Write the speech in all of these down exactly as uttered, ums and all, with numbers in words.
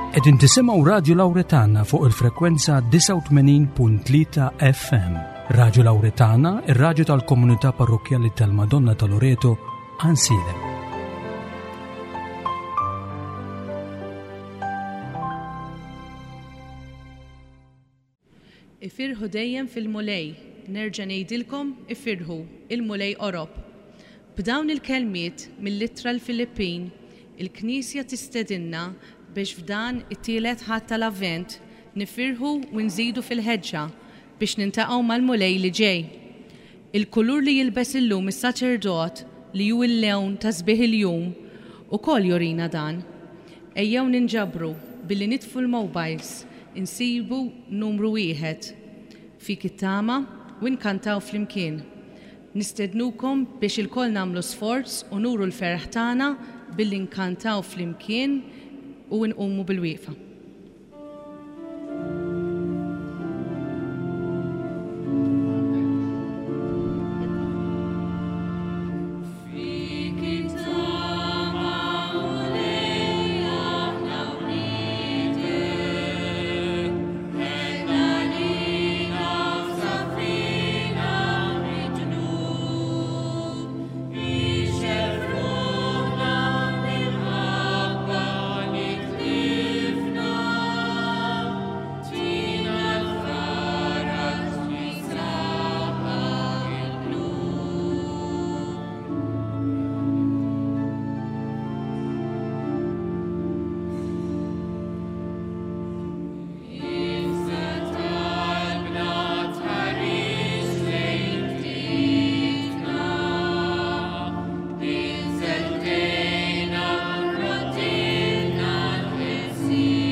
Qegħdin tisimgħu Radio Lauretana fuq il-frekwenza disgħa u tmenin punt tlieta F M. Radio Lauretana, ir-radju tal-Komunità Parrokkjali tal-Madonna ta' Loreto, Għajnsielem. Ifirħu dejjem fil-Mulej, nerġa' ngħidilkom ifirħu, il-Mulej qorob. B'dawn il-kelmiet mill-ittra lill-Filippin, il-Knisja tistedinna biex f'dan it-tielet Ħadd tal-Avvent nifirħu u nżidu fil-ħeġġa biex niltaqgħu mal-Mulej li ġej. Il-kulur li jilbes illum is-saċerdot, li hu l-lewn ta' sbieħ il-jum, ukoll jurina dan. Ejjew ninġabru billi nitfu l-mobiles, insibu numru wieħed fik it-tama u nkantaw flimkien. Nistednukom biex ilkoll nagħmlu sforz u nuru l-ferħ tagħna billi nkantaw flimkien u nqumu bil-wieqfa. Fik it-tama, Mulej, aħna wliedek, ħenn għalina u saffina mid-dnub, ixgħel f'ruħna l-imħabba li tlifna, tina l-faraġ li saħħaħ il-qlub. Ibsa talbna tħares lejn tlifna, inżel ħdejna roddilna l-ħelsien,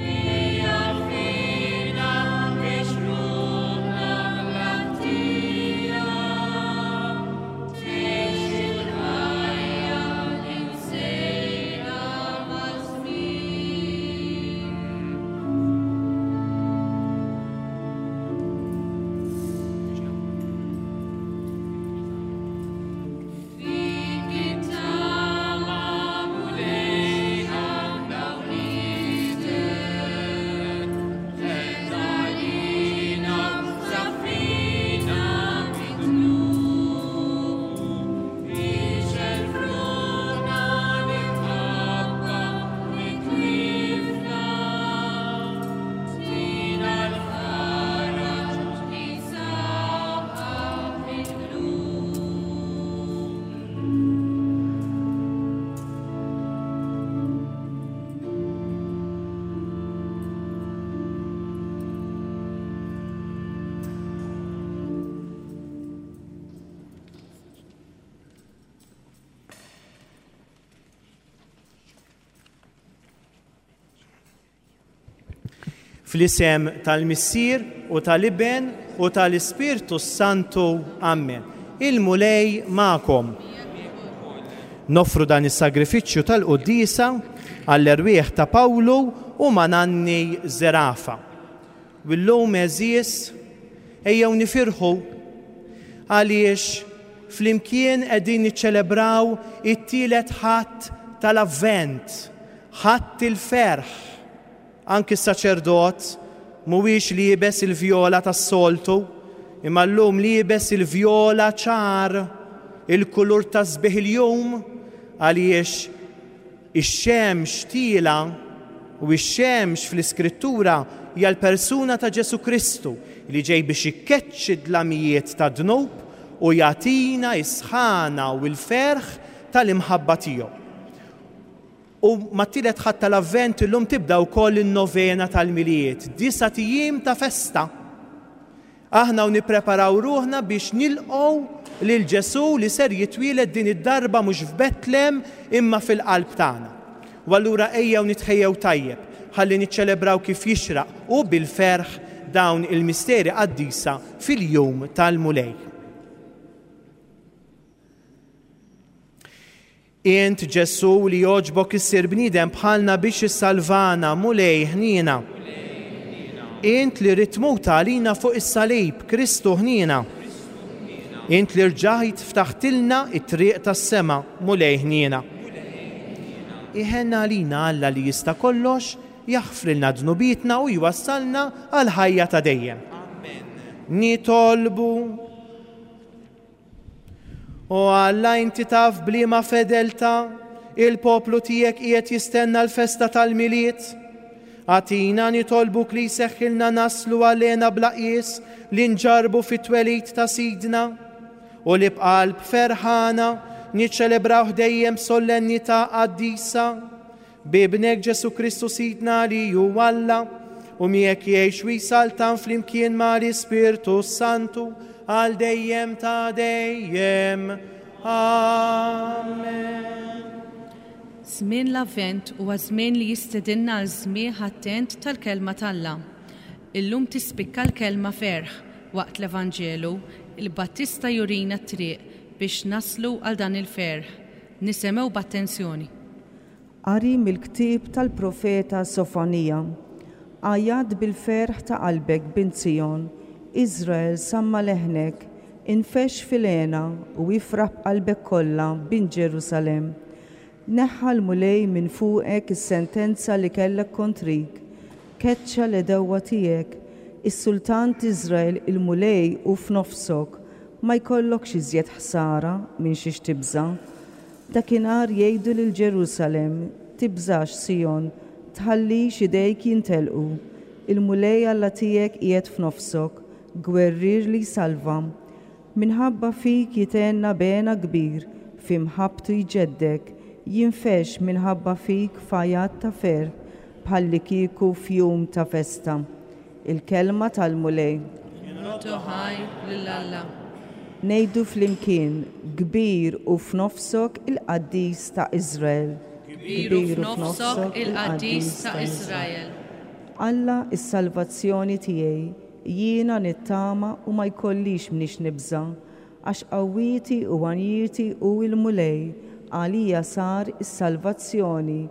ejja fina biex ruħna bla ħtija, tgħix il-ħajja li nsejna maż-żmien. Fik it-tama, Mulej, aħna wliedek, ħenn għalina u saffina mid-dnub, ixgħel f'ruħna l-imħabba li tlifna, tina l-faraġ li saħħaħ il-qlub. Fl-isem tal-Missier u tal-Iben u tal-Ispirtu Santu. Amen. Il-Mulej magħkom. Noffru dan is-sagrifiċċju tal-Quddiesa għall-erwieħ ta' Pawlu u Mananni Zerafa. U llum, għeżież, ejjew nifirħu għaliex flimkien qegħdin niċċelebraw it-tielet Ħadd tal-Avvent, Ħadd il-ferħ. Anki s-saċerdot mhuwiex liebes il-vjola tas-soltu, imma llum liebes il-vjola ċar, il-kulur ta' sbieħ il-jum, għaliex ix-xemx tielgħa, u ix-xemx fl-Iskrittura hija l-persuna ta' Ġesu Kristu li ġej biex ikkeċċi dlamijiet ta' dnub u jagħtina is-sħana u l-ferħ tal-imħabba tiegħu. U mat-tielet Ħadd tal-Avvent illum tibda wkoll in-novena tal-Milied, disat ijiem ta' festa. Aħna u nippreparaw ruħna biex nilqgħu lil Ġesu li ser jitwieled din id-darba mhux f'Betlem imma fil-qalb tagħna. U allura ejjew nitħejjew tajjeb ħalli niċċelebraw kif jixraq u bil-ferħ dawn il-misteri qaddisa fil-jum tal-Mulej. Int, Ġesu, li jogħġbok issir bniedem bħalna biex issalvana, Mulej ħniena. Int li ridt tmut għalina fuq is-salib, Kristu ħniena. Int li rġajt ftaħtilna it-triq tas-sema, Mulej ħniena. Iħenna għalina Alla li jista' kollox, jaħfrilna dnubietna u jwassalna għal ħajja ta' dejjem. Amen. Nitolbu. O Alla, inti taf bliema fedelta il-poplu tiegħek qiegħed jistenna l-festa tal-Milied. Agħtina nitolbuk li jseħħilna naslu għalena bla qies li nġarbu fit-twelid ta' Sidna u li b'qalb ferħana niċċelebraw dejjem solennità qaddisa b'Ibnek Ġesu Kristu Sidna li hu Alla u miegħek jgħix u jsaltan flimkien mal-Ispirtu Santu għal dejjem ta' dejjem. Amen. Żmien l-Avvent huwa żmien li jistedinna għal smigħ attent tal-kelma t'Alla. Illum tispikka l-kelma ferħ waqt l-Evanġelu, il-Battista jurina t-triq biex naslu għal dan il-ferħ. Nisimgħu b'attenzjoni. Qari mill-ktieb tal-profeta Sofonija. Għajjat bil-ferħ ta' qalbek, bint Sijon, Izrael samma leħnek, infexx fil-hena u ifraħ b'qalbek kollha, bint Ġerusalem. Neħħa l-Mulej minn fuqek is-sentenza li kellek kontrik, keċċa l-għedewwa tiegħek, is-sultan t'Iżrael il-Mulej hu f'nofsok, ma jkollokx iżjed ħsara minn xiex tibża'. Dakinhar jgħidu lil Ġerusalem, tibżax Sijon, tħallix idejk jintelqu. Il-Mulej Alla tiegħek qiegħed f'nofsok, gwerrier li jsalva. Minħabba fik jithenna b'hena kbir, fi mħabbtu jġeddek, jinfexx minħabba fik f'għajat ta' ferħ, bħalli kieku f'jum ta' festa. Il-kelma tal-Mulej. Nroddu ħajr lil Alla. Ngħidu flimkien, kbir hu f'nofsok il-qaddis ta' Iżrael. Kbir hu f'nofsok il-qaddis ta' Iżrael. Alla is-salvazzjoni tiegħi, jiena nittama u ma jkollix mniex nibża', għax qawwieti u għanjieti hu l-Mulej, għalija sar is-salvazzjoni.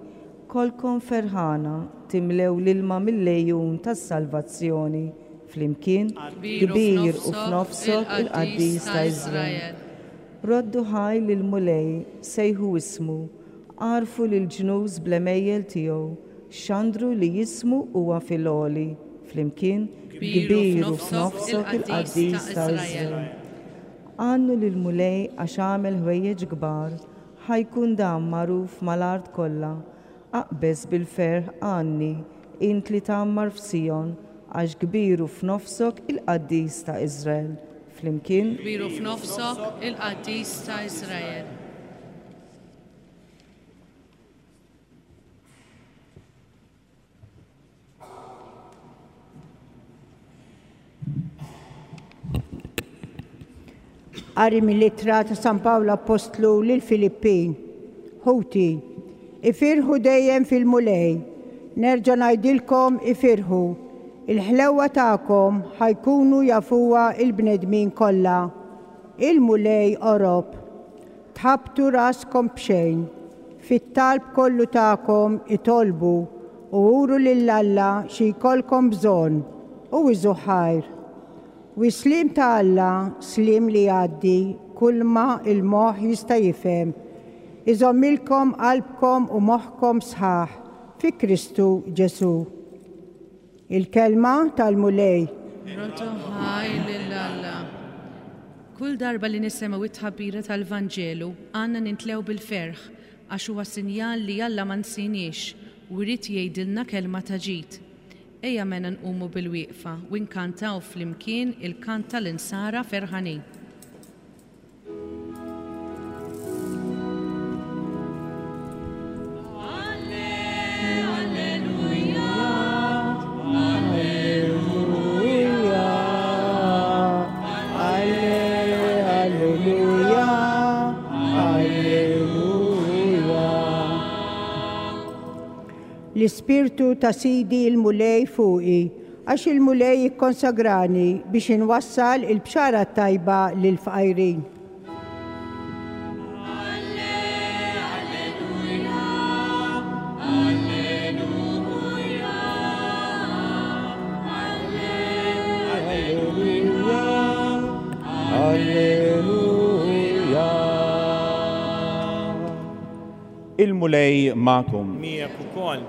Kolkom ferħana timlew l-ilma mill-għejun tas-salvazzjoni. Flimkien, kbir hu f'nofsok il-qaddis ta' Iżrael. Roddu ħaj lill-Mulej, sejħu ismu, għarfu lil-ġnus bl-għemejjel tiegħu, xandru li jismu huwa fil-għoli. Flimkien, kbir hu f'nofsok il-qaddis ta' Iżrael. Għannu lill-Mulej għax għamel ħwejjeġ kbar, ħajkun dan magħruf mal-art kollha. Aqbeż bil-ferħ għanni, int li tgħammar f'Sijon, għax kbir hu f'nofsok il-qaddis ta' Iżrael. Flimkien, Kbir hu f'nofsok il-qaddis ta' Iżrael. Qari mill-ittra ta' San Pawl Apostlu lil Filippin. Ħuti, ifirħu dejjem fil-Mulej. Nerġa' ngħidilkom ifirħu. Il-ħlewwa tagħkom ħajkunu jafuha il-bnedmin kollha. Il-Mulej qorob. Tħabtu raskom b'xejn. Fit-talb kollu tagħkom itolbu u uru lil Alla xi jkollkom bżonn u iżu ħajr. U s-sliem ta' Alla, sliem li jgħaddi kulma il-moħħ jista' jifhem, iżommilkom qalbkom u moħħkom sħaħ fi Kristu Ġesu. Il-kelma tal-Mulej. Nroddu ħajr lil Alla. Kull darba li nisimgħu it-tħabbira tal-Vanġelu għandna nintlew bil-ferħ għax huwa sinjal li Alla ma nsiniex u jrid jgħidilna kelma ta' ġid. Ejja mela nqumu bil-wieqfa u nkantaw flimkien il-kant tal-insara ferħanin. Alleluja, alleluja. L-Ispirtu ta' Sidi il-Mulej fuqi, għax il-Mulej ikkonsagrani biex inwassal il-bxara tajba lill-fqajrin. Alleluja. Il-Mulej magħkom. Miegħek ukoll.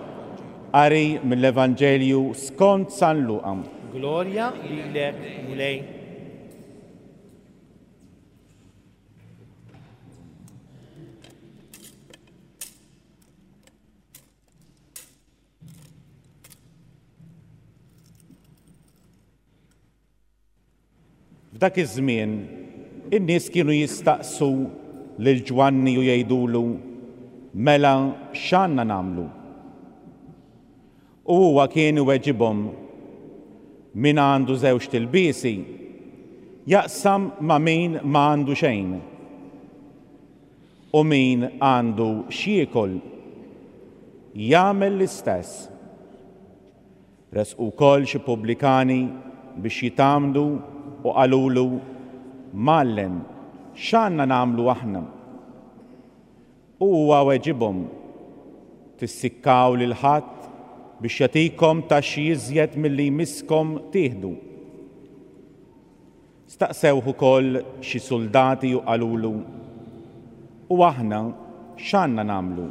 Qari mill-Evanġelju skont San Luqa. Glorja lilek, Mulej. F'dak iż-żmien in-nies kienu jistaqsu lil Ġwanni u jgħidulu: Mela x'għandna nagħmlu? U huwa kien iweġibhom: Min għandu żewġ tilbiesi jaqsam ma' min ma għandu xejn. U min għandu x'jiekol jagħmel l-istess. Resqu wkoll xi pubblikani biex jitgħammdu u qalulu: Mgħallem, x'għandna nagħmlu aħna? U huwa weġibhom: Tissikkaw lil ħadd biex jagħtikom taxxi iżjed milli jmisskom tieħdu. Staqsewh ukoll xi soldati u qalulu: U aħna x'għandna nagħmlu?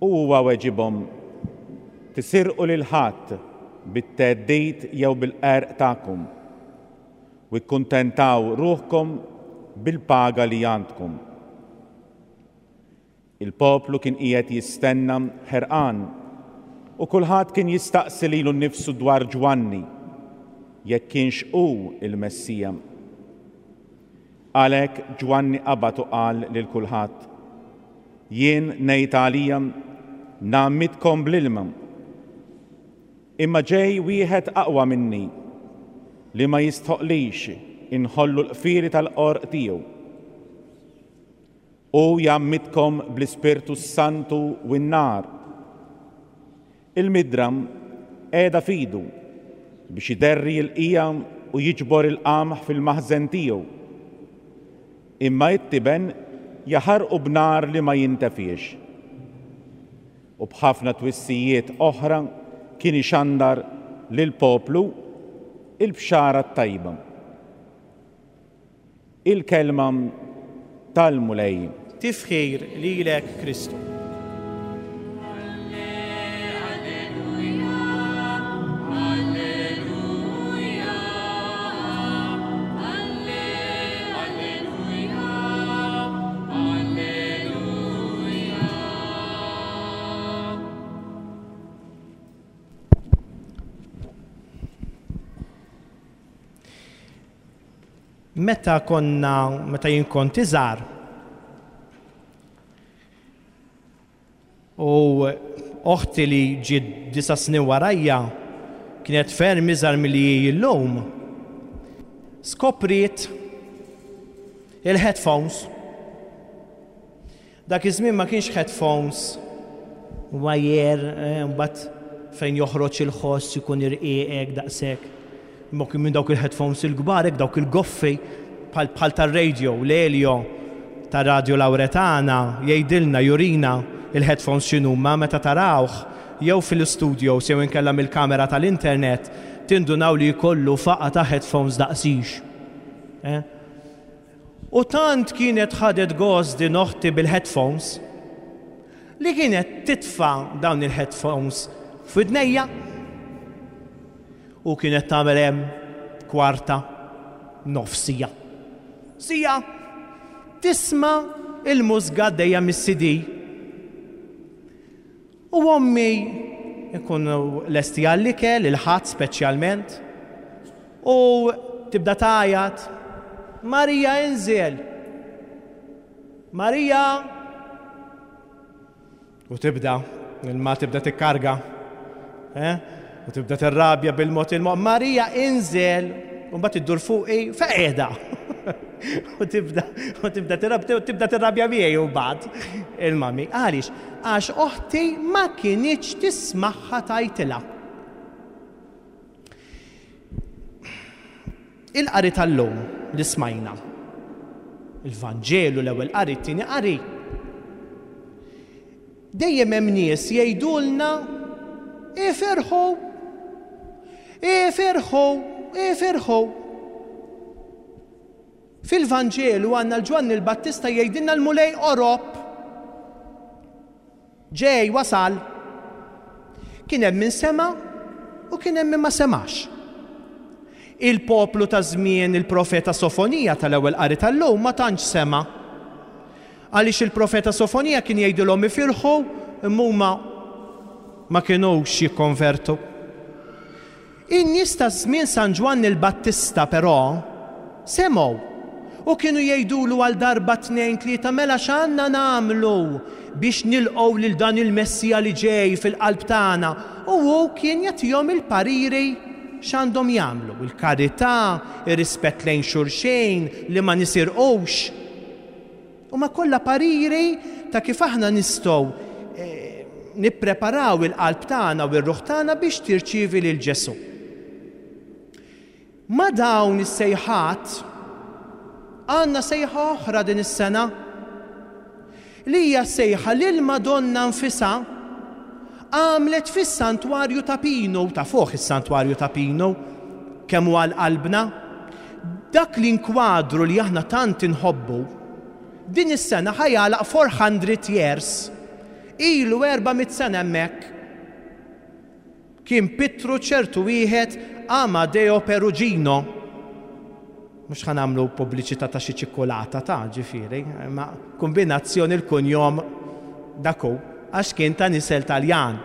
U huwa weġibhom: Tisirqu lil ħadd bit-theddid jew bil-qerq tagħkom, u kkuntentaw ruħkom bil-paga li għandkom. Il-poplu kien qiegħed jistenna ħerqan, u kulħadd kien jistaqsi lilu nnifsu dwar Ġwanni, jekk kienx hu il-Messija. Għalhekk Ġwanni qabad u qal lil kulħadd: Jien ngħid għalija ngħammidkom bl-ilma, imma ġej wieħed aqwa minni li ma jistħoqlix inħollu l-qfieli tal-qorq tiegħu. U jgħammidkom bl-Ispirtu s-Santu u n-nar. Il-midram qiegħda f'idu biex iderri l-qija u jiġbor il-qamħ fil-maħżen tiegħu. Imma it-tiben jaħarqu b'nar li ma jintefiex. U b'ħafna twissijiet oħra kien ixandar lill-poplu il-bxara t-tajba. Il-kelma tal-Mulej. Tifħir lilek, Kristu. Meta konna, meta jien kont iżgħar, u oħti li ġiet disa' snin warajja kienet ferm iżgħar milli hi llum, skopriet il-headphones. Dak iż-żmien ma kienx headphones wire, mbagħad fejn joħroġ il-ħoss ikun irqiqek daqshekk. Imma kien minn dawk il-headphones il-kbar, hekk dawk il-goffi bħal tar-radio, l-Elio ta' Radio Lauretana jgħidilna, jurina il-headphones x'inhuma meta tarawh jew fil-studio jew inkella mill-kamera tal-internet tindunaw li jkollu faqa ta' headphones daqsix. Eh? U tant kienet ħadet gost din oħti bil-headphones li kienet titfa' dawn il-headphones f'widnejja u kienet tagħmel hemm kwarta, nofsija. Sija tisma' il-mużga għaddejja mis-C D. U ommi ikunu lesti għall-ikel, il-ħadd speċjalment, u tibda tgħajjat: Marija inżel! Marija! U tibda, il-ma tibda tikkarga. Eh? U tibda tirrabja bil-mod il-mod: Marija inżel! U mbagħad iddur fuqi feqeda. U tibda, u tibda tirrabja, tibda tirrabja miegħi u mbagħad il-mami. Għaliex? Għax oħti ma kinitx tismagħha tajtilha. Il-qari tal-lum li smajna, il-Vanġelu, l-ewwel qari, it-tieni qari, dejjem hemm nies jgħidulna: Ifirħu, ifirħu, ifirħu. Fil-Vanġelu għandna l-Ġwanni l-Battista jgħidilna l-Mulej qorob. Ġej wasal. Kien hemm min sema' u kien hemm min ma semax. Il-poplu ta' żmien il-profeta Sofonija tal-ewwel qari tal-lum ma tantx sema'. Għaliex il-profeta Sofonija kien jgħidilhom ifirħu imma huma ma kinux jikkonvertu. In-nies ta' żmien San Ġwann il-Battista però semgħu u kienu jgħidulu għal darba tnejn tlieta mela x'għandna nagħmlu biex nilqgħu lil dan il-Messija li ġej fil-qalb tagħna. U hu kien jagħtihom il-pariri x'għandhom jagħmlu, il-karità, ir-rispett lejn xulxejn, li ma nisirqux. U ma kollha pariri ta' kif aħna nistgħu eh, nippreparaw il-qalb tagħna u r-ruħ tagħna biex tirċievi lil Ġesù. Ma dawn is-sejħat għandna sejħa oħra din is-sena li hija sejħa lil Madonna nfisha għamlet fis-santwarju ta' Pinu, ta' fuq is-santwarju ta' Pinu, kemm huwa qalbna. Dak l-inkwadru li aħna tant inħobbu, din is-sena ħa jagħlaq four hundred years. Ilu erba' mitt sena hemmhekk. Kien pittru ċertu wieħed Amadeo Perugino. Mhux ħa nagħmlu pubbliċità ta' xi ċikkulata ta' ġifieri, ma kombinazzjoni l-kunjom daku, għax kien ta' nisel Taljan.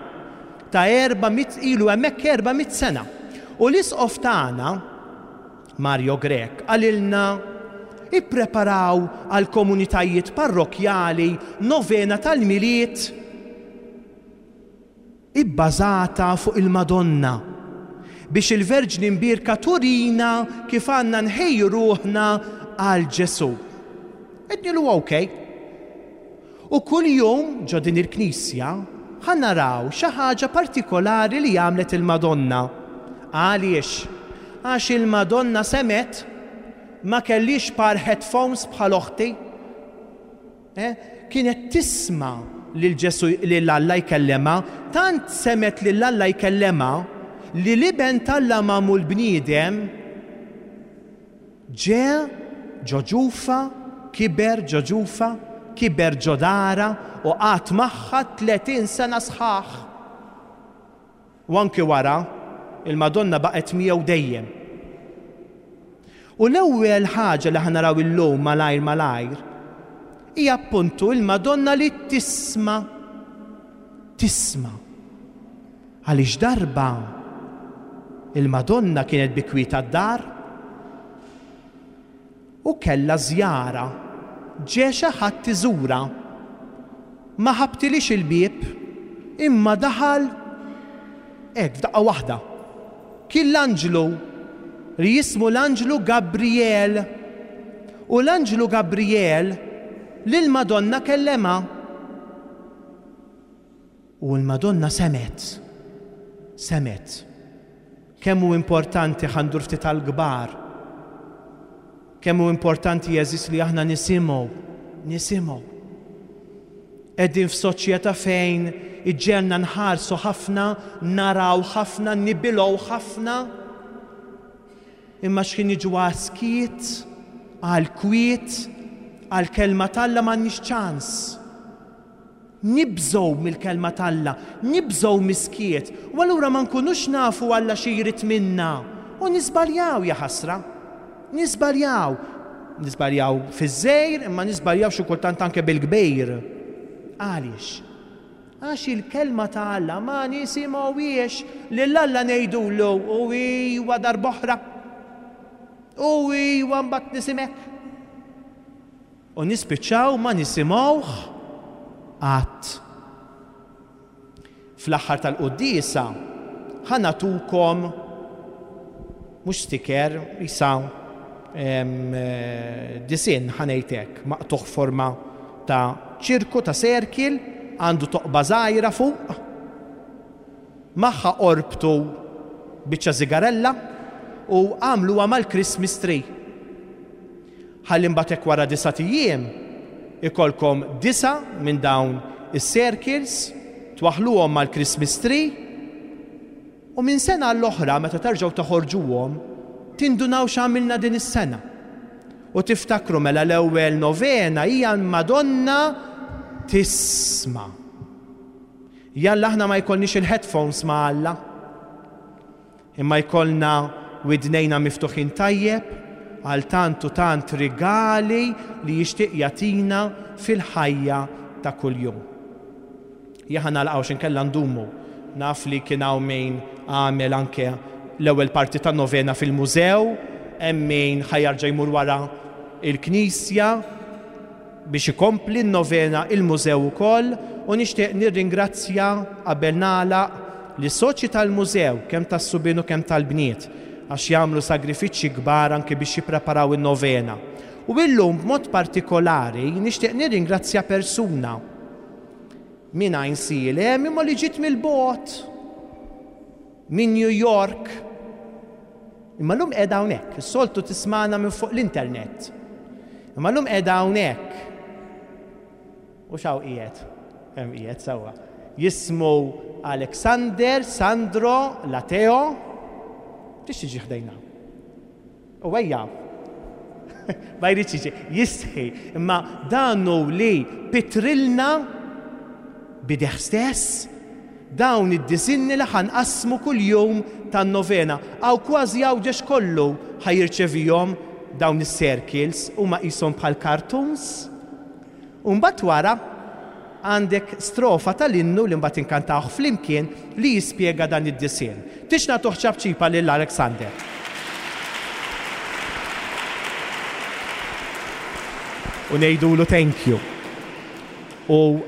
Ta' erba' mitt ilu hemmhekk erba' mitt sena. U l-isqof tagħna, Mario Grech, qalilna ippreparaw għal komunitajiet parrokjali novena tal-Milied ibbażata fuq il-Madonna biex il-Verġni Mbierka turina kif għandna nħejju ruħna għal Ġesù. Għednilu ok. U kull jum ġo din il-knisja ħa naraw xi ħaġa partikolari li għamlet il-Madonna. Għaliex? Għax il-Madonna semet ma kellix par headphones bħal oħti. Eh? Kienet tisma' lil Ġesù, lil Alla jkellema, tant semet lil Alla jkellema li l-iben t'Alla magħmul bniedem ġe ġo ġufa, kiber ġo ġufa, kiber ġo dara u qagħad magħha tletin sena sħaħ. U anki wara, il-Madonna baqgħet miegħu dejjem. U l-ewwel ħaġa li ħa naraw illum malajr malajr hija appuntu il-Madonna li tisma'. Tisma'. Għaliex darba il-Madonna kienet bi kwieta d-dar u kellha żjara, ġie xi ħadd iżura. Ma ħabtilix il-bieb, imma daħal hekk f'daqqa waħda. Kien l-anġlu li jismu l-anġlu Gabriel. U l-anġlu Gabriel lil Madonna kellema. U l-Madonna semet. Semet. Kemm hu importanti ħa ndur ftit għall-kbar. Kemm hu importanti jeżis li aħna nisimgħu, nisimgħu. Qegħdin f'soċjetà fejn iġġelna nħarsu ħafna, naraw ħafna, nibilgħu ħafna. Imma x'kien jiġu għas-skiet, għall-kwiet, għall-kelma t'Alla m'għandniex ċans. Nibżgħu mill-kelma t'Alla, nibżgħu miskiet, u allura ma nkunux nafu Alla xi jrid minna. U niżbaljaw, ja ħasra. Niżbaljaw. Niżbaljaw fiż-żgħir, imma niżbaljaw xi kultant anke bil-kbir. Għaliex? Għax il-kelma ta' Alla ma nisimgħuhiex, lil Alla ngħidulu u iwa darb'oħra. U iwa mbagħad nisimek. U nispiċċaw ma nisimgħuh qatt. Fl-aħħar tal-quddiesa ħa nagħtukom mhux sticker, isa, em, eh, disinn ħa ngħid hekk, maqtugħ forma ta' ċirku, ta' serkil, għandu toqba żgħira fuq, magħha orbtu biċċa sigarella u għamluha mal-Christmas tree. Ħalli mbagħad hekk wara disa' ijiem ikolkom disa' minn dawn is-circles, twaħluhom mal-Christmas tree, u minn sena għall-oħra meta terġgħu toħorġuhom tindunaw x'għamilna din is-sena. U tiftakru mela l-ewwel novena hija l-Madonna tisma'. Jalla aħna ma jkollniex il-headphones ma' Alla, imma jkollna widnejna miftuħin tajjeb għal tant u tant rigali li jixtieq jagħtina fil-ħajja ta' kuljum. Jaħa nagħlqu x'inkella ndumu. Naf li kien hawn min għamel anke l-ewwel parti tan-novena fil-mużew, hemm min ħa jerġa' jmur wara il-knisja biex ikompli n-novena il-mużew ukoll, u nixtieq nirringrazzja qabel nagħlaq li soċi tal-mużew kemm tas-subien u kemm tal-bniet għax jagħmlu sagrifiċċji kbar anke biex jippreparaw in-novena. U illum b'mod partikolari nixtieq nirringrazzja persuna minn Għajnsielem imma li ġiet mill-bogħod minn New York. Imma llum qiegħda hawnhekk, is-soltu tismana minn fuq l-internet. Imma llum qiegħda hawnhekk. U x'hawn qiegħed? Hemm qiegħed sewwa. Jismu Alexander Sandro Lateo. Tix tiġi ħdejna. U ejja. Ma jridx jiġi, jistħi. Imma dan hu li pitrilna b'idejh stess dawn id-disinni li ħa nqassmu kuljum tan-novena. Għaw kważi Għawdex kollu ħa jirċevihom dawn is-circles, huma qishom bħal cartoons. U mbagħad wara għandek strofa tal-innu li mbagħad inkantawh flimkien li jispjega dan id-disinn. Tix nagħtuh ċapċipa lil Alexander. U ngħidulu thank you. U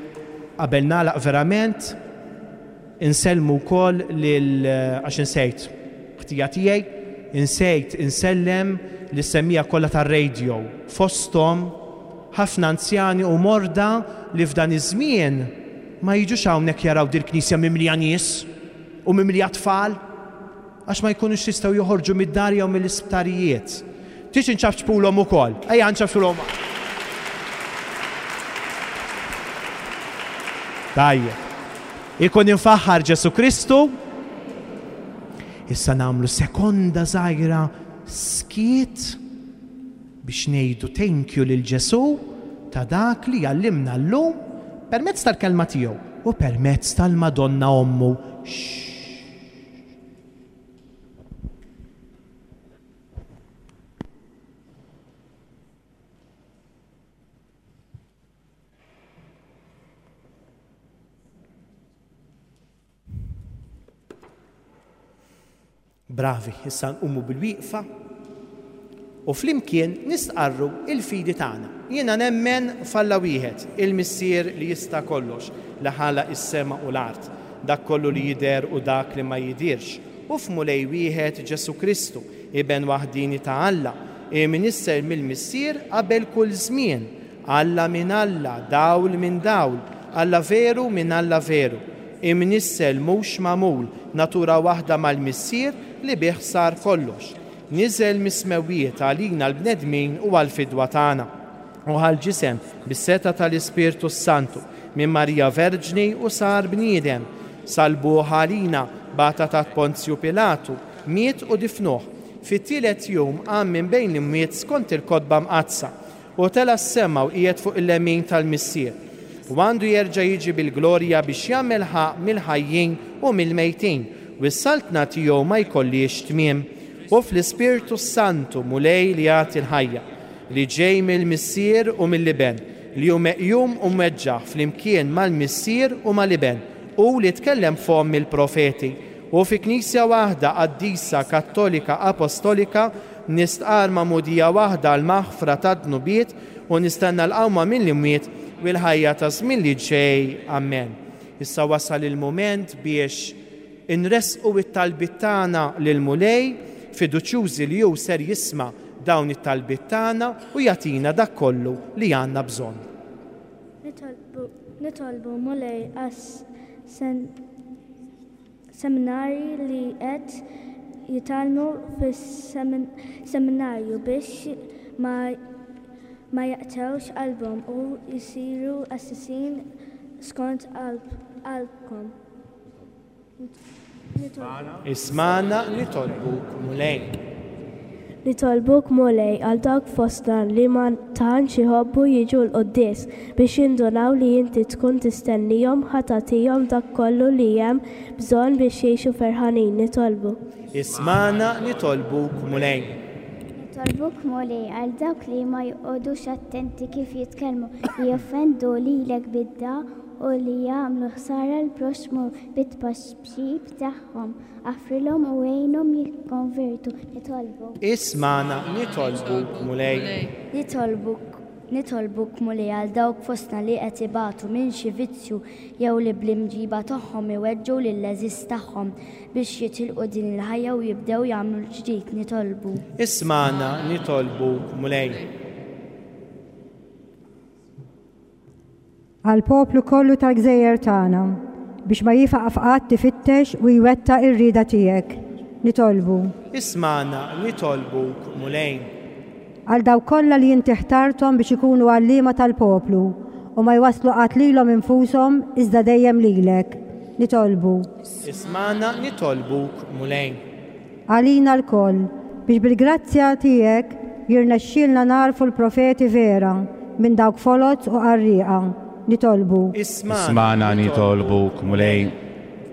qabel nagħlaq verament insellmu wkoll lil, għax insejt ħtija tiegħi, insejt insellem lis-semmija kollha tar-radio, fosthom ħafna anzjani u morda li f'dan iż-żmien ma jiġux hawnhekk jaraw dil-knisja mimlija nies u mimlija tfal għax ma jkunux jistgħu joħorġu mid-dar jew mill-isptarijiet. Tix inċafċpulhom ukoll. Ejja nċafċpulhom. Tajjeb. Ikun infaħħar Ġesu Kristu. Issa nagħmlu sekonda żgħira skiet biex ngħidu thank you lil Ġesu ta' dak li għallimna llum permezz tal-kelma tiegħu u permezz tal-Madonna ommu. Bravi, issa nqumu bil-wieqfa u flimkien nistqarru il-fidi tagħna. Jiena nemmen f'Alla wieħed, il-Missier li jista' kollox, li ħalaq is-sema u l-art, dak kollu li jidher u dak li ma jidirx, u f'Mulej wieħed Ġesu Kristu, iben waħdini ta' Alla, imnissel mill-Missier qabel kull żmien, Alla minn Alla, dawl minn dawl, Alla veru minn Alla veru, imnissel mhux magħmul, natura waħda mal-Missier li bih sar kollox. Niżel mis-smewwiet għalina l-bnedmin u għall-fidwa tagħna. U ħal-ġisem bis-seta tal-Ispirtu Santu minn Marija Verġni u sar bniedem. Salbuh għalina bata ta' Ponzju Pilatu, miet u difnuh. Fit-tielet jum qam minn bejn l-imwiet skont il-kotba mqaddsa u tela' s-sema u qiegħed fuq il-lemin tal-Missier. U għandu jerġa' jiġi bil-glorja biex jagħmel ħaqq mill-ħajjin u mill-mejtin, u s-saltna tiegħu ma jkollix tmiem. U fl-Ispirtu Santu Mulej li jagħti l-ħajja, li ġej mill-Missier u mill-Iben, li hu meqjum u mweġġaħ flimkien mal-Missier u mal-Iben, u li tkellem fomm il-profeti. U fi Knisja waħda qaddisa Kattolika Apostolika nistqar magħmudija waħda għall-maħfra tad-dnubiet u nistenna l-qawma mill-imwiet u l-ħajja ta' żmien li ġej. Amen. Issa wasal il-mument biex inresqu it-talbiet tagħna lill-Mulej, fiduċjużi li hu ser jisma' dawn it-talbiet tagħna u jagħtina dak kollu li għandna bżonn. Nitolbu, nitolbu Mulej għas seminari li qed jitgħallmu fis-seminarju biex ma, ma jaqtgħux qalbhom u jsiru qassisin skont qalbkom. Ismana nitolbuk Mulej. Nitolbuk Mulej għal dawk fostna li ma tantx iħobbu jiġu l-quddies biex jindunaw li inti tkun tistennihom ħa tagħtihom dak kollu li hemm bżonn biex jgħixu ferħanin. Nitolbu. Ismagħna nitolbuk Mulej. Nitolbuk Mulej għal dawk li ma joqogħdux attenti kif jitkellmu, li joffendu lilek bid-dagħa u li jagħmlu ħsara l-proxxmu bit-tpaxxib tagħhom. Aħfrilhom u għinhom jikkonvertu. Nitolbu. Ismagħna nitolbuk Mulej. Nitolbuk Nitolbuk Mulej għal dawk fostna li qed ibatu minn xi vizzju jew li bl-imġiba tagħhom iweġġgħu lill-għeżież tagħhom biex jitilqu din il-ħajja u jibdew jagħmlu l-ġdid. Nitolbu. Ismagħna nitolbuk Mulej. Għal poplu kollu tal-gżejjer tagħna biex ma jieqaf qatt ifittex u jwettaq ir-rieda tiegħek. Nitolbu. Ismagħna nitolbuk Mulej. Għal dawk kollha li inti ħtarthom biex ikunu għalliema tal-poplu u ma jwasslu qatt lilhom infushom iżda dejjem lilek. Nitolbu. Ismagħna nitolbuk Mulej. Għalina lkoll biex bil-grazzja tiegħek jirnexxielna nagħrfu l-profeti vera minn dawk foloz u qarrieqa. Nitolbu. Ismagħna nitolbuk Mulej.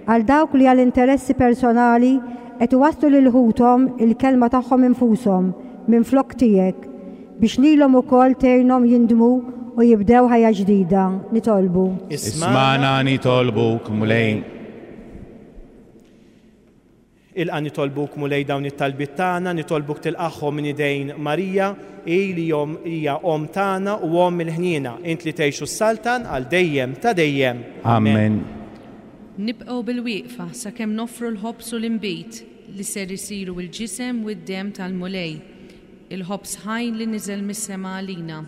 Għal dawk li għal interessi personali qed iwasslu lil ħuthom il-kelma tagħhom infushom minn flok tiegħek biex lilhom ukoll tgħinhom jindmu u jibdew ħajja ġdida. Nitolbu. Ismagħna nitolbuk Mulej. Ilqa' nitolbuk Mulej dawn it-talbiet tagħna, nitolbuk tilqagħhom minn idejn Marija, hi li hija omm tagħna u omm il-ħniena, int li tgħix u ssaltan għal dejjem ta' dejjem. Amen. Nibqgħu bil-wieqfa sakemm noffru l-ħobż u l-inbid li ser isiru l-ġisem u d-demm tal-Mulej, il-ħobż ħaj li niżel mis-sema għalina.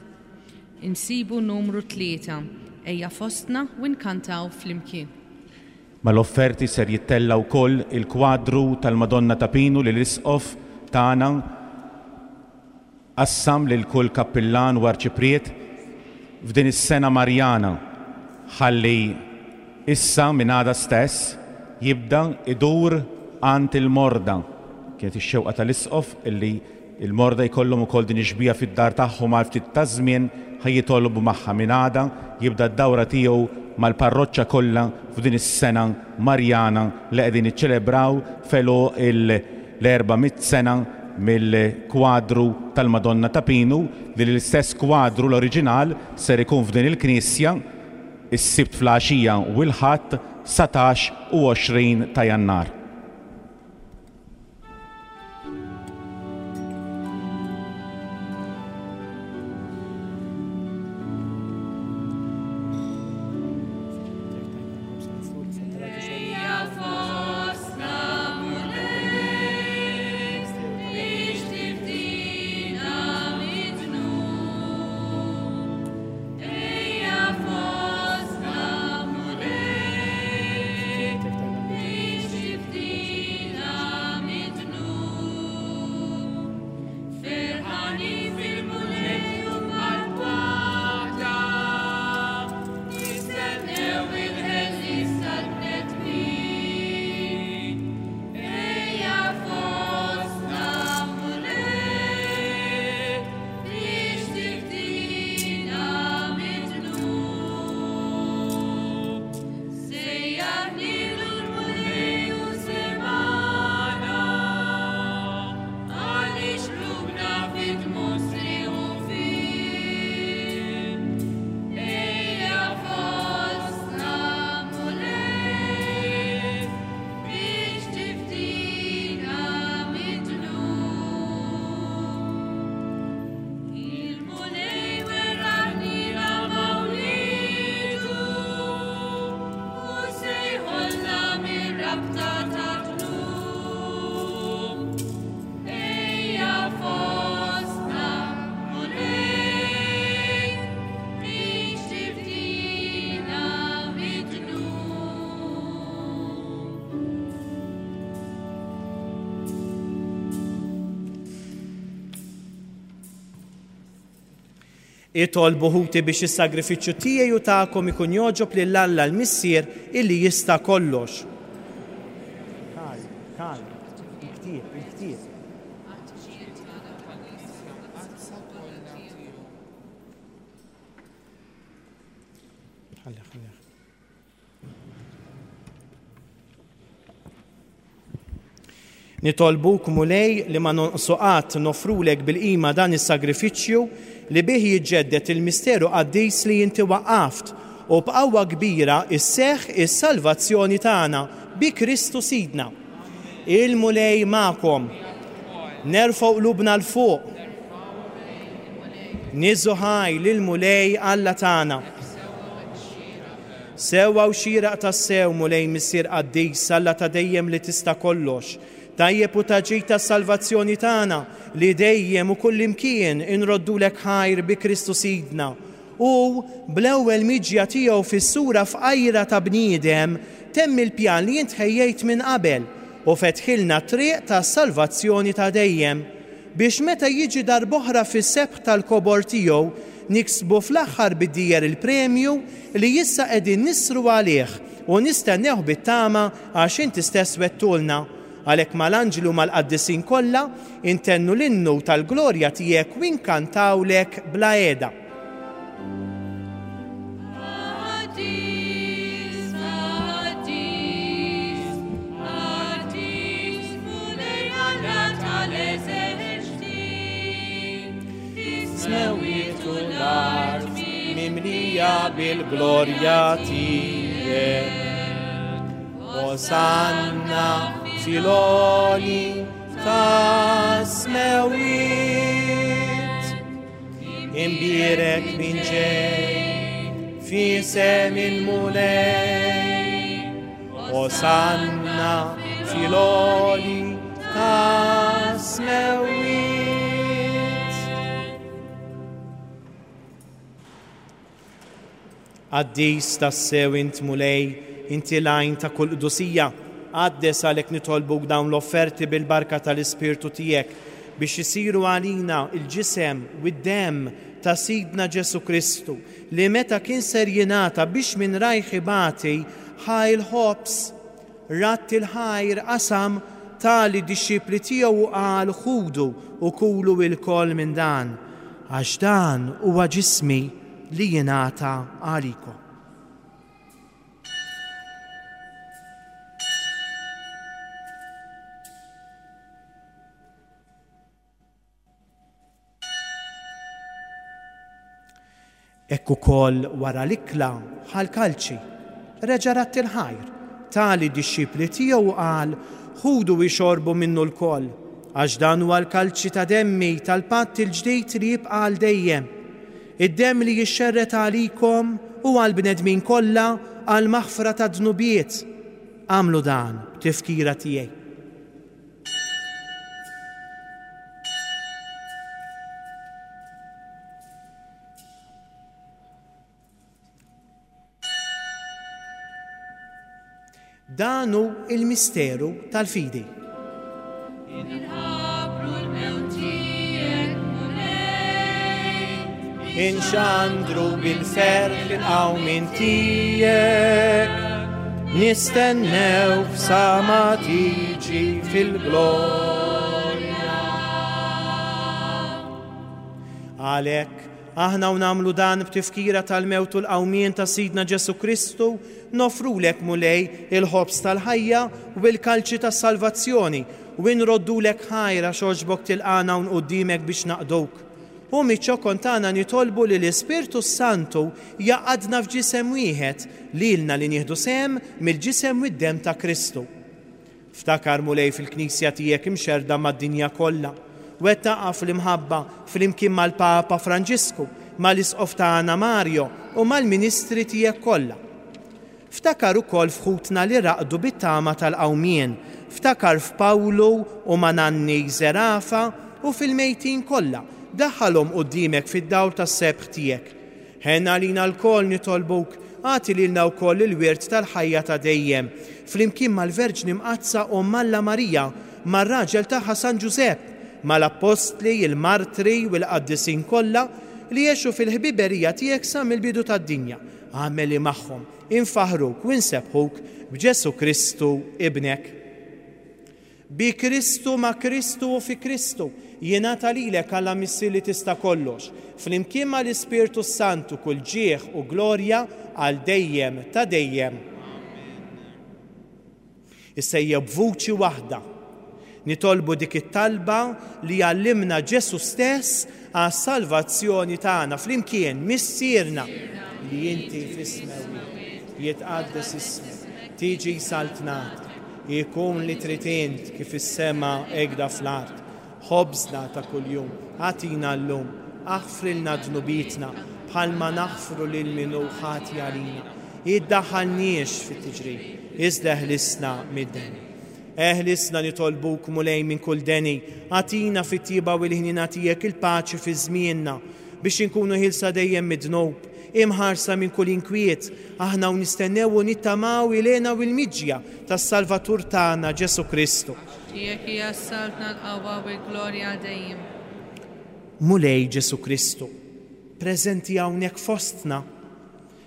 Insibu numru tlieta, ejja fostna u nkantaw flimkien. Mal-offerti ser jittella wkoll il-kwadru tal-Madonna ta' Pinu li l-Isqof tagħna qassam lil kull kappillan u arċipriet f'din is-sena Marjana ħalli issa minn għada stess jibda idur għand il-morda. Kienet ix-xewqa tal-Isqof illi il-morda jkollhom ukoll din ix-xbieha fid-dar tagħhom għal ftit ta' żmien ħa jitolbu magħha. Minn għada jibda d-dawra tiegħu mal-parroċċa kollha f'din is-sena Marjana li qegħdin iċċelebraw felu l-erba' mitt sena mill-kwadru tal-Madonna ta' Pinu, li l-istess kwadru l-oriġinal ser ikun f'din il-knisja is-Sibt fl-għaxija u l-Ħadd satax u għoxrin ta' Jannar. Itolbu ħuti biex is-sagrifiċċju tiegħi u tagħkom ikun jogħġob lil Alla l-Missier illi jista' kollox. Kal, kal, il-ktieb, il-ktieb. Ħalli, ħalli. Nitolbuk, Mulej, li ma nonqsu qatt nofrulek bil-qima dan is-sagrifiċċju li bih jiġġedded il-misteru qaddis li inti waqqaft u b'qawwa kbira isseħħ is-salvazzjoni tagħna bi Kristu Sidna. Il-Mulej magħkom. Nerfgħu qlubna 'l fuq. Niżżu ħaj lill-Mulej Alla tagħna. Sewwa u xieraq tassew, Mulej Missier qaddis, Alla ta' dejjem li tista' kollox, tajjeb u ta' ġid tas-salvazzjoni tagħna li dejjem u kullimkien inroddulek ħajr bi Kristu Sidna. U bl-ewwel miġja tiegħu fis-sura fqajra ta' bniedem temm il-pjan li int ħejjejt minn qabel u fetħilna triq tas-salvazzjoni ta' dejjem, biex meta jiġi darb'oħra fis-sebħ tal-kobor tiegħu niksbu fl-aħħar bid-dieher il-premju li issa qegħdin nisru għalih u nistennewh bit-tama għax inti stess wettulna. Għalhekk mal-anġli u mal-qaddisin kollha intennu l-innu tal-glorja tiegħek u inkantawlek bla qiegħda. Qaddis, qaddis, qaddis, Mulej Alla tal-eżerċti, Is-smewwiet u l-art mimlija bil-glorja tiegħek. Osanna fil-għoli tas-smewwiet. Imbierek min ġej f'isem il-Mulej. Osanna fil-għoli tas-smewwiet. Qaddis tassew int Mulej, inti l-għajn ta' kull qdusija. Qaddes għalhekk nitolbuk dawn l-offerti bil-barka tal-Ispirtu tiegħek biex isiru għalina il-ġisem u d-demm ta' Sidna Ġesu Kristu, li meta kien ser jingħata biex minn rajh ibati ħa l-ħobż, radd il-ħajr, qasam ta lid-dixxipli tiegħu u qal: ħudu u kulu lkoll minn dan, għax dan huwa ġismi li jingħata għalikom. Hekk ukoll wara l-ikla ħa l-kalċi, reġa' radd il-ħajr, ta lid-dixxipli tiegħu u qal: ħudu u ixorbu minnu lkoll, għax dan huwa l-kalċi ta' demmi tal-patt il-ġdid li jibqa' għal dejjem. Id-demm li jixxerred għalikom u għall-bnedmin kollha għall-maħfra ta' dnubiet. Agħmlu dan b'tifkira tiegħi. Dan hu il-misteru tal-fidi. Inħabbru l-mewt tiegħek, Mulej. Inxandru bil-ferħ il-qawmien tiegħek, nistennew sa ma tiġi fil-glorja. Għalhekk aħna u nagħmlu dan b'tifkira tal-mewt u l-qawmien ta' Sidna Ġesu Kristu, nofrulek Mulej il-ħobż tal-ħajja u l-kalċi tas-salvazzjoni, u nroddulek ħajra xogħġbok tilqana hawn qudiemek biex naqduk. U miċ-ċokon tagħna nitolbu li l-Ispirtu Santu jaqadna f'ġisem wieħed lilna li nieħdu sehem mill-ġisem u d-demm ta' Kristu. Ftakar Mulej fil-Knisja tiegħek imxerda mad-dinja kollha. Wettaqha fl-imħabba flimkien mal-Papa Franġisku, mal-Isqof tagħna Mario u mal-Ministri tiegħek kollha. Ftakar ukoll f'ħutna li raqdu bit-tama tal-qawmien, ftakar f'Pawlu u ma' Nanni Zerafa u fil-mejtin kollha, daħħalhom quddiemek fid-dawl tas-sebħ tiegħek. Ħenna għalina lkoll nitolbuk, agħti lilna wkoll il-wirt tal-ħajja ta' dejjem, flimkien mal-Verġni Mqaddsa Omm Alla Marija, mar-raġel tagħha San Ġużepp, mal-appostli, il-martri u l-qaddisin kollha li għexu fil-ħbiberija tiegħek sa mill-bidu tad-dinja. Agħmel li magħhom infaħruk u nsebbħuk b'Ġesu Kristu ibnek. Bi Kristu, ma' Kristu u fi Kristu, jingħata lilek Alla Missier li tista' kollox, flimkien mal-Ispirtu Santu kull ġieħ u glorja għal dejjem ta' dejjem. Issa ejja b'vuċi waħda nitolbu dik it-talba li għallimna Ġesu stess għas-salvazzjoni tagħna flimkien. Missierna li inti fis-smewwiet, jitqaddes ismek, tiġi saltnatek, ikun li trid int kif is-sema hekk fl-art. Ħobżna ta' kuljum agħtina llum, aħfrilna dnubietna bħalma naħfru lil min hu ħati għalina. Iddaħħalniex fit-tiġrib, iżda eħlisna mid-deni. Eħlisna nitolbuk Mulej minn kull deni, agħtina fit-tjieba u l-ħniena tiegħek il-paċi fi żmienna biex inkunu ħielsa dejjem mid-dnub, imħarsa minn kull inkwiet, aħna u nistennew u nittamaw il-hena u l-miġja tas-Salvatur tagħna Ġesu Kristu. Tiegħek hija s-saltna, l-qawwa u l-glorja dejjem. Mulej Ġesu Kristu, preżenti hawnhekk fostna,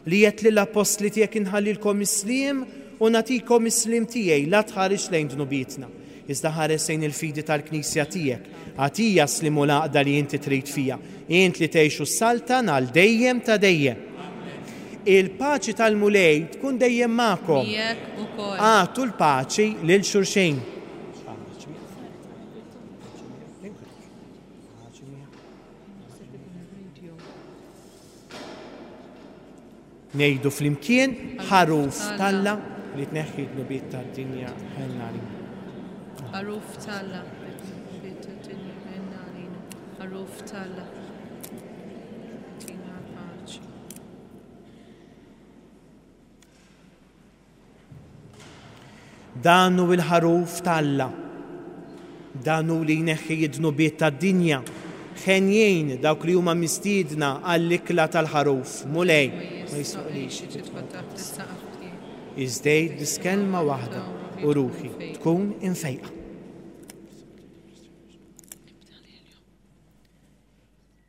li għedt lill-appostli tiegħek inħallilkom is-sliem u nagħtikom is-sliem tiegħi, la tħares lejn dnubietna, iżda ħares lejn il-fidi tal-Knisja tiegħek. Agħtiha s-sliem u l-għaqda li inti trid fiha, int li tgħix u ssaltan għal dejjem ta' dejjem. Il-paċi tal-Mulej tkun dejjem magħkom. Miegħek ukoll. Agħtu l-paċi lil xulxin. Ngħidu flimkien ħaruf t'Alla li tneħħi d-dnubiet tad-dinja ħenna għalina. Ħaruf t'Alla li tneħħi d-dnubiet tad-dinja ħenna għalina. Ħaruf t'Alla tina paċi. Dan hu l-ħaruf t'Alla. Dan hu li jneħħi d-dnubiet tad-dinja. Ħenjin dawk li huma mistiedna għall-ikla tal-ħaruf. Mulej, ma jistħoqqlix tidħol taħt is-saqaf tiegħi. Iżda għid biss kelma waħda u ruħi tkun imfejqa.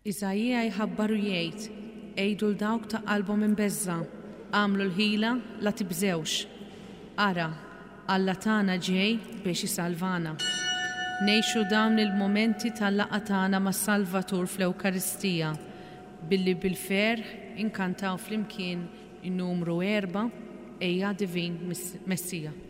Iżajija jħabbar u jgħid, għidu 'l dawk ta' qalbhom imbeżża', għamlu l-ħila la tibżewx. Ara, Alla tagħna ġej biex isalvana. Ngħixu dawn il-momenti tal-laqgħa tagħna mas-Salvatur fl-Ewkaristija billi bil-ferħ inkantaw flimkien in-numru erba' Ejja Divin Messija. Divin Messija,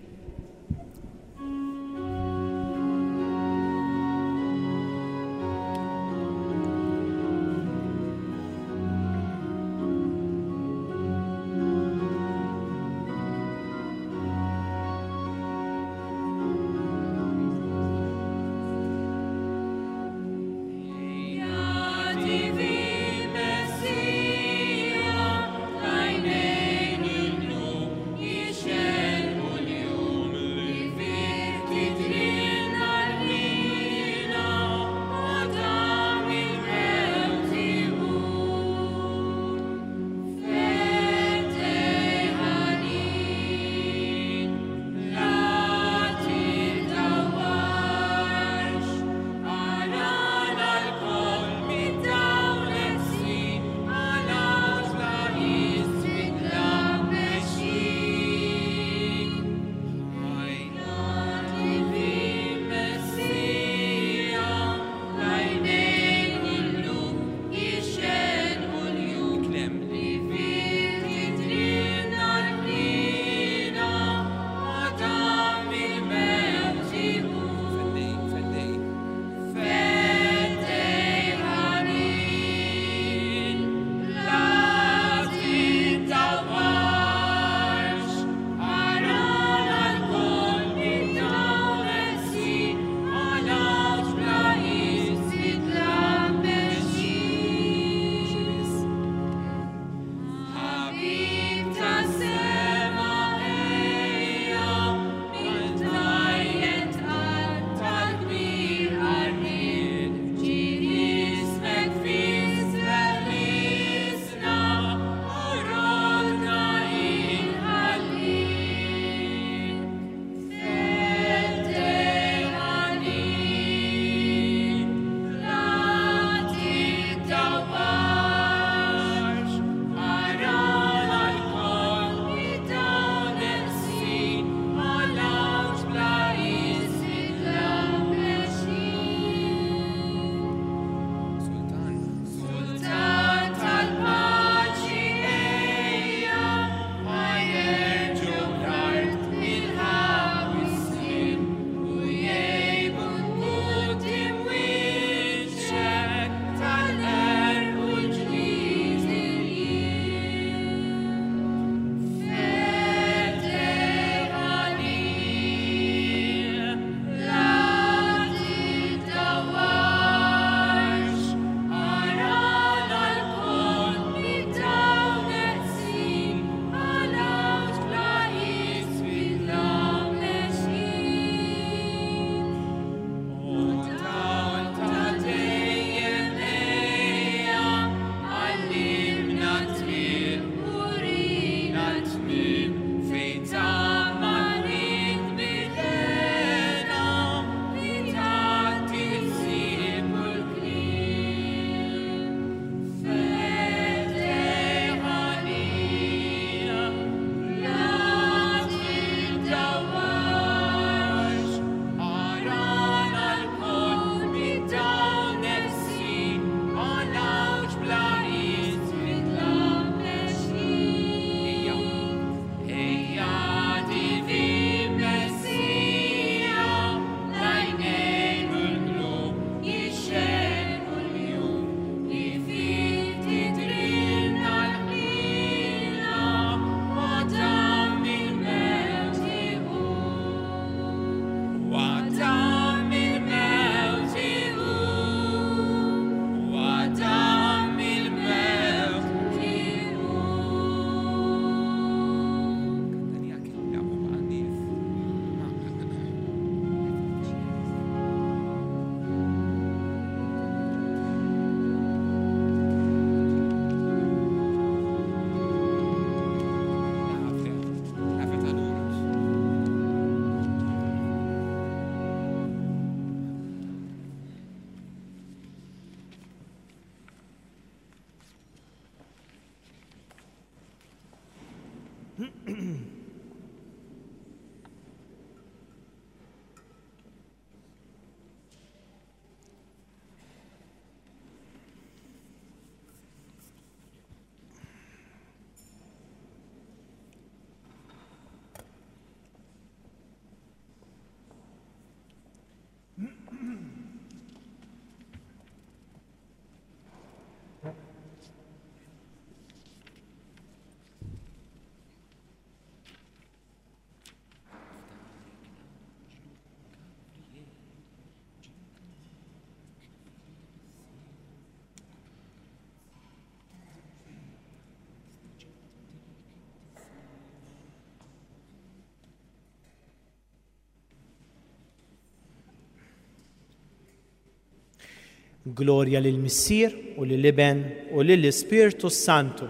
Gloria lil Missier u lil Iben u lil Ispirtu Santu.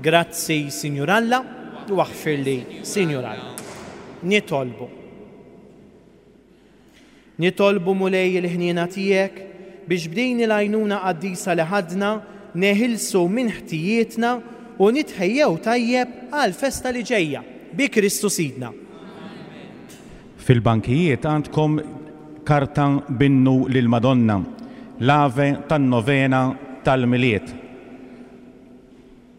Grazzi, Signor Alla, u aħfirli, Signor Alla. Nitolbu. Nitolbu Mulej il-ħniena tiegħek biex b'din il-għajnuna qaddisa li ħadna neħilsu minn ħtijietna u nitħejjew tajjeb għal festa li ġejja bi Kristu Sidna. Fil-bankijiet għandkom karta binnu lil Madonna, l-ave tan-novena tal-Milied.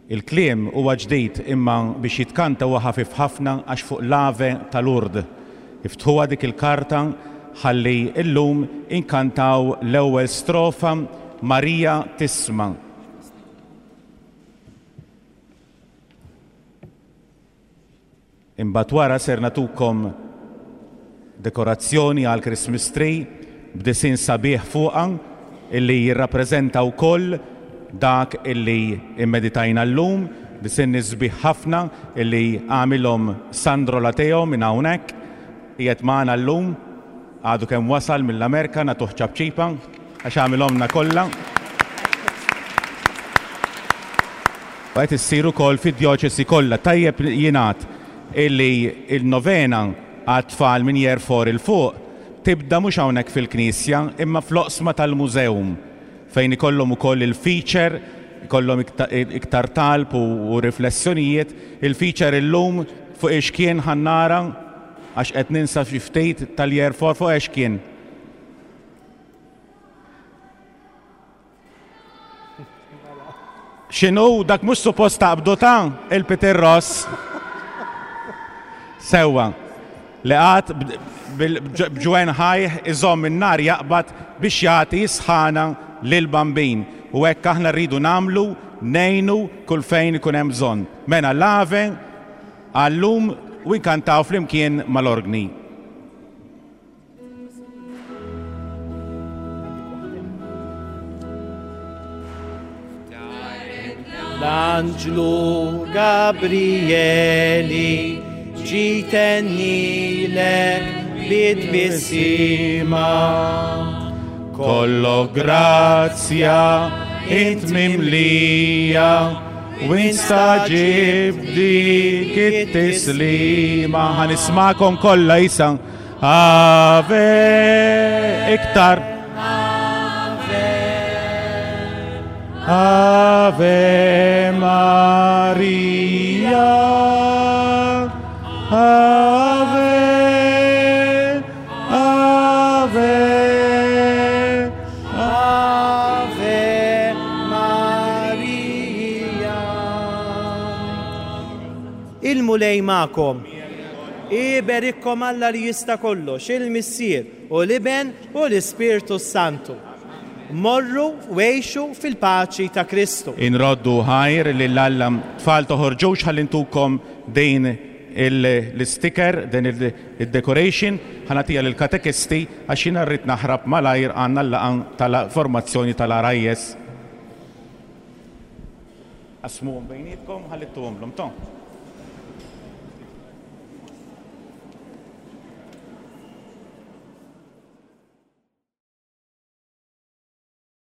Il-kliem huwa ġdid imma biex jitkanta huwa ħafif ħafna għax fuq l-ave tal-Urd. Iftħuha dik il-karta ħalli illum inkantaw l-ewwel strofa Marija tisma'. Imbagħad wara ser natukom dekorazzjoni għal Christmas tree b'disin sabiħ fuqha illi jirrappreżenta wkoll dak illi immeditajna llum, disin sbieħ ħafna illi għamilhom Sandro Lateo minn hawnhekk, qiegħed magħna llum, għadu kemm wasal mill-Amerika nagħtuh ċapċipa għax għamilhomna kollha. U qed issir ukoll fid-djoċesi kollha. Tajjeb jingħad illi il-novena għat-tfal minn year four il fuq tibda mhux hawnhekk fil-knisja imma fl-oqsma tal-mużewm fejn ikollhom ukoll il-feature, ikollhom iktar talb u riflessjonijiet. Il-feature illum fuq ix kien ħannara għax qed ninsa xi ftit tal-year four fuq ix kien. X'inhu dak mhux suppost taqbdu ta' il-Peter Ross. Sewwa. Li għad b'ġwen ħajh iżomm in-nar jaqbad biex jagħti sħana lil-bambin. U hekk aħna rridu nagħmlu, ngħinu kull fejn ikun hemm bżonn. Mela l-ave għallum u nkantaw flimkien mal-orgni. L-anġlu Gabrieli ġitennilek bit-tbissima. Kollo grazzja int mimlija u instaġib dik it-tislima. Ħanismakom kollha isa. Ave iktar. Ave Maria. Ave, Ave, Ave Maria. Il-Mulej magħkom. Iberikkom Alla li jista' kollox, il-Missier u l-Iben u l-Ispirtu Santu. Morru u għixu fil-paċi ta' Kristu. Inroddu ħajr lil Alla. Tfal toħorġux ħalli ntukom din l-sticker, din il-decoration, ħanatija lill-katekisti għax jiena rrid naħrab malajr għandna l-laqgħa tal-formazzjoni tal-R I S. Qasmuhom bejnietkom ħalli ttuhomlhom, to.